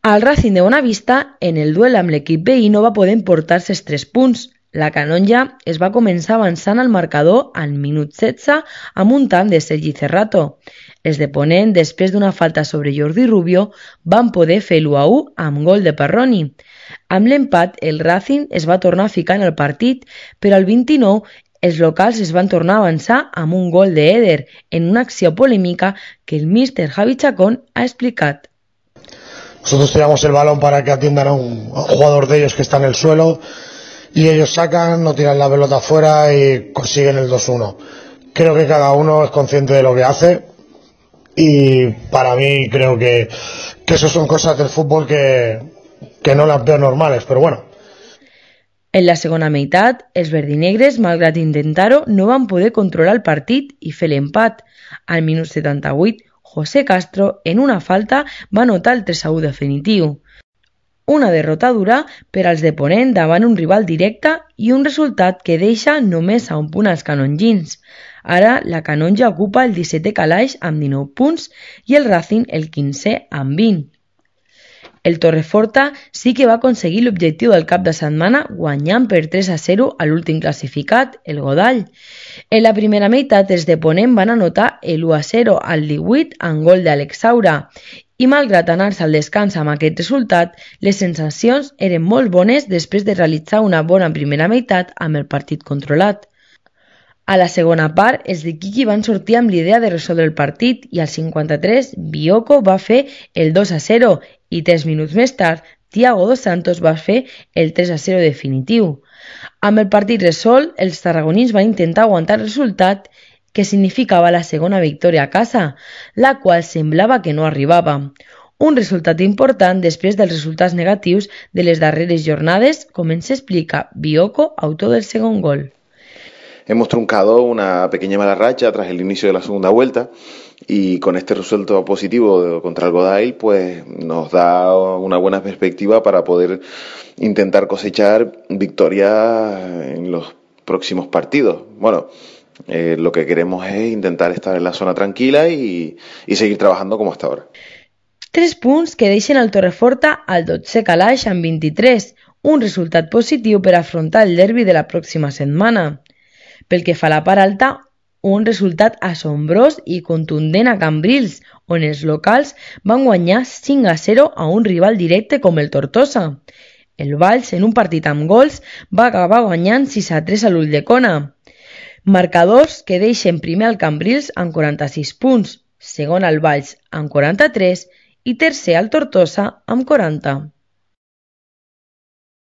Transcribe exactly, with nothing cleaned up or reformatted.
El Racing de Bonavista, en el duel amb l'equip veí, no va poder emportar-se els tres punts. La canonja es va començar avançant al marcador al minut setze amb un tant de Sergi Cerrato. Els de Ponent, després d'una falta sobre Jordi Rubio, van poder fer l'u a u amb gol de Parroni. Amb l'empat, el Racing es va tornar a ficar en el partit, però al vint-i-nou els locals es van tornar a avançar amb un gol d'Eder en una acció polèmica que el míster Javi Chacón ha explicat. Nosotros tiramos el balón para que atiendan a un, a un jugador de ellos que está en el suelo y ellos sacan, no tiran la pelota afuera y consiguen el dos uno. Creo que cada uno es consciente de lo que hace y para mí creo que, que eso son cosas del fútbol que, que no las veo normales, pero bueno. En la segona meitat, els verdinegres, malgrat intentar-ho, no van poder controlar el partit i fer l'empat. Al minut setanta-vuit, José Castro, en una falta, va anotar el tres a u definitiu. Una derrota dura per als de Ponent davant un rival directe i un resultat que deixa només a un punt als canongins. Ara, la canonja ocupa el dissetè calaix amb dinou punts i el Racing el quinzè amb vint. El Torreforta sí que va aconseguir l'objectiu del cap de setmana guanyant per tres a zero a l'últim classificat, el Godall. En la primera meitat els de Ponent van anotar el u a zero al divuit amb gol d'Àlex Saura i malgrat anar-se al descans amb aquest resultat, les sensacions eren molt bones després de realitzar una bona primera meitat amb el partit controlat. A la segona part, els de Quiqui van sortir amb l'idea de resoldre el partit i al cinquanta-tres Bioko va fer el dos a zero i tres minuts més tard Thiago dos Santos va fer el tres a zero definitiu. Amb el partit resolt, els tarragonins van intentar aguantar el resultat que significava la segona victòria a casa, la qual semblava que no arribava. Un resultat important després dels resultats negatius de les darreres jornades, com ens explica Bioko, autor del segon gol. Hemos truncado una pequeña mala racha tras el inicio de la segunda vuelta y con este resultado positivo contra el Godall pues nos da una buena perspectiva para poder intentar cosechar victorias en los próximos partidos. Bueno, eh, lo que queremos es intentar estar en la zona tranquila y, y seguir trabajando como hasta ahora. Tres punts que deixen el Torreforta al dotzè calaix amb vint-i-tres, un resultat positiu per afrontar el derbi de la pròxima setmana. Pel que fa a la part alta, un resultat assombrós i contundent a Cambrils, on els locals van guanyar cinc a zero a un rival directe com el Tortosa. El Valls, en un partit amb gols, va acabar guanyant sis a tres a l'Ulldecona. Marcadors que deixen primer al Cambrils amb quaranta-sis punts, segon al Valls amb quaranta-tres i tercer al Tortosa amb quaranta.